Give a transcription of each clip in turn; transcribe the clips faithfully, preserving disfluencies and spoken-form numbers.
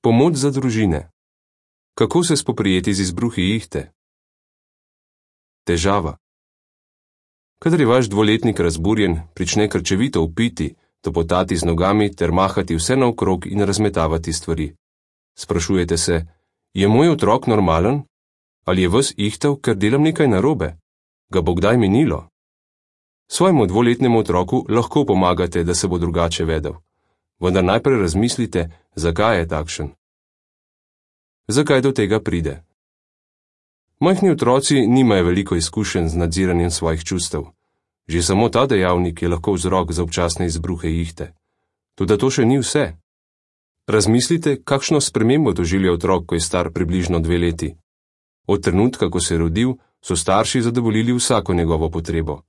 Pomoč za družine. Kako se spoprijeti z izbruhi ihte? Težava. Kadar je vaš dvoletnik razburjen, prične krčevito vpiti, topotati z nogami ter mahati vse naokrog in razmetavati stvari. Sprašujete se, je moj otrok normalen? Ali je ves ihtal, ker delam nekaj narobe? Ga bo kdaj minilo? Svojemu dvoletnemu otroku lahko pomagate, da se bo drugače vedel. Vendar najprej razmislite, zakaj je takšen. Zakaj do tega pride? Majhni otroci nimajo veliko izkušenj z nadziranjem svojih čustev. Že samo ta dejavnik je lahko vzrok za občasne izbruhe ihte. Toda to še ni vse. Razmislite, kakšno spremembo doživlja otrok, ko je star približno dve leti. Od trenutka, ko se je rodil, so starši zadovoljili vsako njegovo potrebo.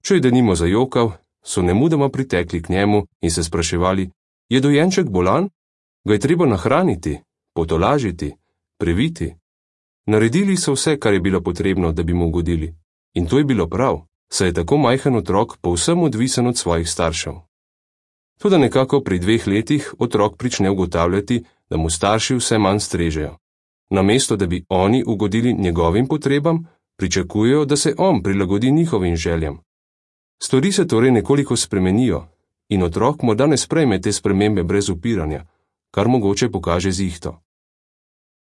Če je denimo zajokal, so nemudoma pritekli k njemu in se spraševali, je dojenček bolan? Ga je treba nahraniti, potolažiti, previti? Naredili so vse, kar je bilo potrebno, da bi mu ugodili. In to je bilo prav, saj je tako majhen otrok povsem odvisen od svojih staršev. Toda nekako pri dveh letih otrok prične ugotavljati, da mu starši vse manj strežejo. Namesto, da bi oni ugodili njegovim potrebam, pričakujejo, da se on prilagodi njihovim željam. Stvari se torej nekoliko spremenijo in otrok morda ne sprejme te spremembe brez upiranja, kar mogoče pokaže z ihto.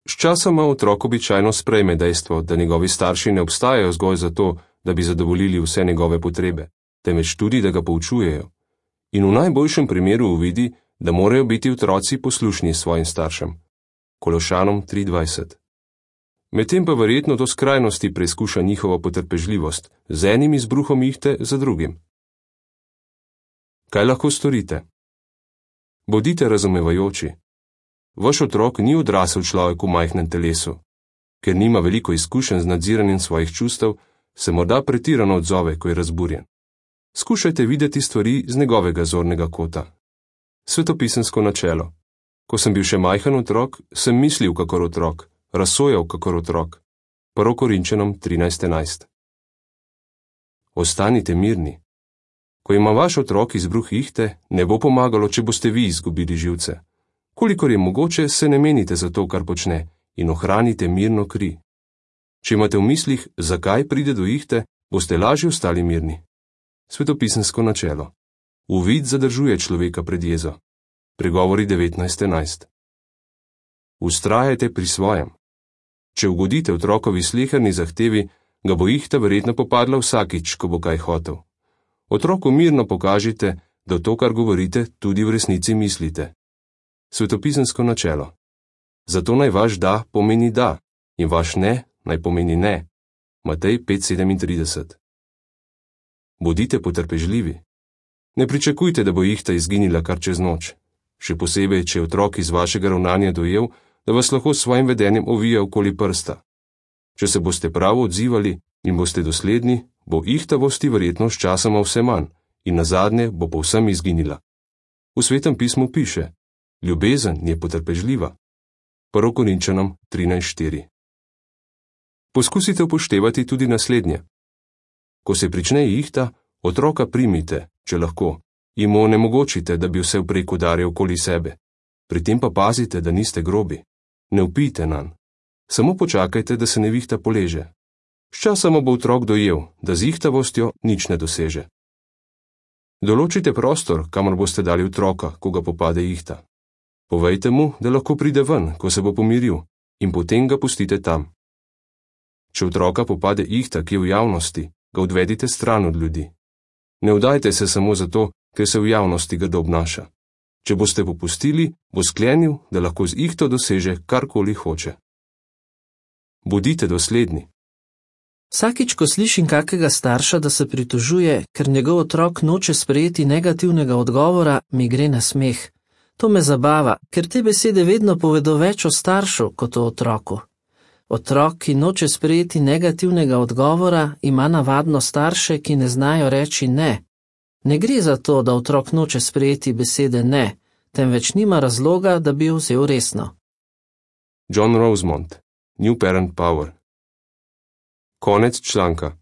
Sčasoma otrok običajno sprejme dejstvo, da njegovi starši ne obstajajo zgolj zato, da bi zadovoljili vse njegove potrebe, temveč tudi, da ga poučujejo. In v najboljšem primeru uvidi, da morajo biti otroci poslušni svojim staršem. Kološanom tri dvajset. Medtem pa verjetno do skrajnosti preizkuša njihovo potrpežljivost, z enim izbruhom ihte za drugim. Kaj lahko storite? Bodite razumevajoči. Vaš otrok ni odrasel človek v majhnem telesu. Ker nima veliko izkušenj z nadziranjem svojih čustev, se morda pretirano odzove, ko je razburjen. Skušajte videti stvari z njegovega zornega kota. Svetopisemsko načelo. Ko sem bil še majhen otrok, sem mislil kakor otrok, razsojal kakor otrok. Prvo Korinčanom trinajst enajst. Ostanite mirni. Ko ima vaš otrok izbruh ihte, ne bo pomagalo, če boste vi izgubili živce. Kolikor je mogoče, se ne menite za to, kar počne, in ohranite mirno kri. Če imate v mislih, zakaj pride do ihte, boste lažje ostali mirni. Svetopisemsko načelo. Uvid zadržuje človeka pred jezo. Pregovori devetnajst enajst. Vztrajajte pri svojem. Če ugodite otrokovi sleherni zahtevi, ga bo ihta verjetno popadla vsakič, ko bo kaj hotel. Otroku mirno pokažite, da to, kar govorite, tudi v resnici mislite. Svetopisemsko načelo. Zato naj vaš da pomeni da in vaš ne naj pomeni ne. Matej pet sedemintrideset. Bodite potrpežljivi. Ne pričakujte, da bo ihta izginila kar čez noč. Še posebej, če je otrok iz vašega ravnanja dojel, da vas lahko s svojim vedenjem ovija okoli prsta. Če se boste pravo odzivali in boste dosledni, bo ihtavosti verjetno s časoma vse manj in nazadnje bo povsem izginila. V Svetem pismu piše, ljubezen je potrpežljiva. Prvo Korinčanom trinajst štiri. Poskusite upoštevati tudi naslednje. Ko se prične ihta, otroka primite, če lahko, in mu onemogočite, da bi vse vprek udarjal okoli sebe. Pri tem pa pazite, da niste grobi. Ne vpijte nanj. Samo počakajte, da se nevihta poleže. Sčasoma bo otrok dojel, da z ihtavostjo nič ne doseže. Določite prostor, kamor boste dali otroka, ko ga popade ihta. Povejte mu, da lahko pride ven, ko se bo pomiril, in potem ga pustite tam. Če otroka popade ihta, ki je v javnosti, ga odvedite stran od ljudi. Ne vdajte se samo zato, ker se v javnosti grdo obnaša. Če boste popustili, bo sklenil, da lahko z ihto doseže karkoli hoče. Bodite dosledni. Vsakič, ko slišim kakega starša, da se pritožuje, ker njegov otrok noče sprejeti negativnega odgovora, mi gre na smeh. To me zabava, ker te besede vedno povedo več o staršu kot o otroku. Otrok, ki noče sprejeti negativnega odgovora, ima navadno starše, ki ne znajo reči ne. Ne gre za to, da otrok noče sprejeti besede ne, temveč nima razloga, da bi jo vzel resno. John Rosemont, New Parent Power. Konec članka.